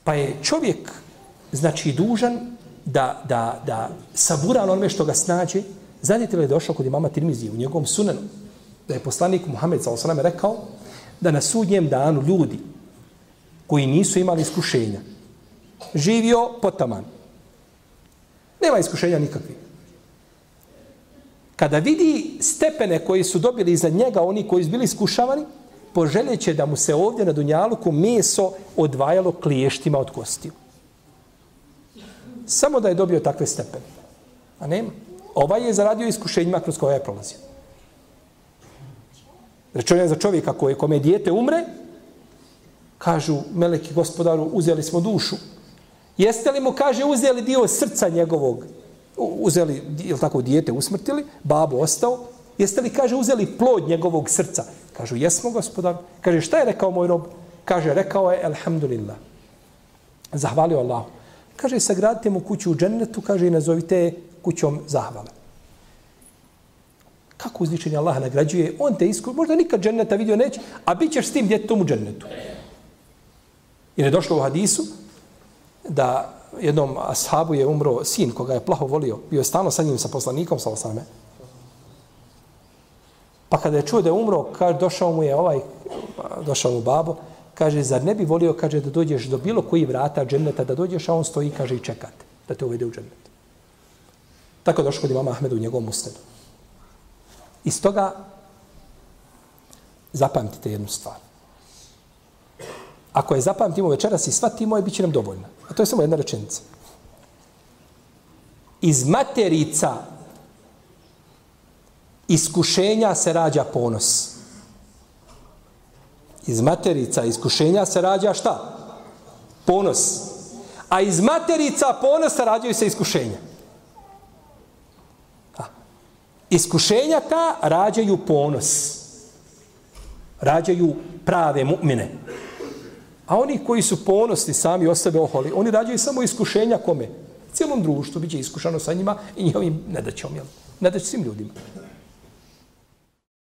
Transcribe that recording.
Pa je čovjek, znači, dužan da sabura onome što ga snađe. Znate li je došao kod imama Tirmizije u njegovom sunanu, da je poslanik Muhammed s.a.v. rekao da na sudnjem danu ljudi koji nisu imali iskušenja, živio potaman. Nema iskušenja nikakvih. Kada vidi stepene koji su dobili iza njega, oni koji su bili iskušavani, poželjeće da mu se ovdje na dunjaluku meso odvajalo kliještima od kostiju. Samo da je dobio takve stepene. A nema. Ovaj je zaradio iskušenjima kroz koje je prolazio. Rečeno je za čovjeka kome dijete umre, kažu meleki gospodaru, uzeli smo dušu. Jeste li mu, kaže, uzeli dio srca njegovog, uzeli, ili tako, dijete usmrtili, babo ostao, jeste li, kaže, uzeli plod njegovog srca? Kažu, jesmo, gospodar. Kaže, šta je rekao moj rob? Kaže, rekao je, alhamdulillah. Zahvalio Allahu. Kaže, sagradite mu kuću u džennetu, kaže, i nazovite je kućom zahvale. Kako uzvičenje Allaha nagrađuje? On te možda nikad dženneta vidio neće, a bit ćeš s tim djetetom u džennetu. Jer je došlo u hadisu da jednom ashabu je umro sin koga je plaho volio. Bio je stalno sa njim, sa poslanikom, sa osame. Pa kada je čuo da je umro, kaže, došao mu babo, kaže, zar ne bi volio, kaže, da dođeš do bilo koji vrata dženneta, da dođeš, a on stoji, kaže, i čekate da te uvede u džennet. Tako je došlo kod imama Ahmedu u njegovom usnedu. Iz toga zapamtite jednu stvar. Ako je zapamtimo večeras i shvatimo, bit će nam dovoljno. A to je samo jedna rečenica. Iz materica iskušenja se rađa ponos. Iz materica iskušenja se rađa šta? Ponos. A iz materica ponosa rađaju se iskušenja. Iskušenja ta rađaju ponos. Rađaju prave mu'mine. A oni koji su ponosni sami o sebe oholi, oni rađaju samo iskušenja kome? Cijelom društvu biće iskušano sa njima i njihovim nedaćom. Nedaće svim ljudima.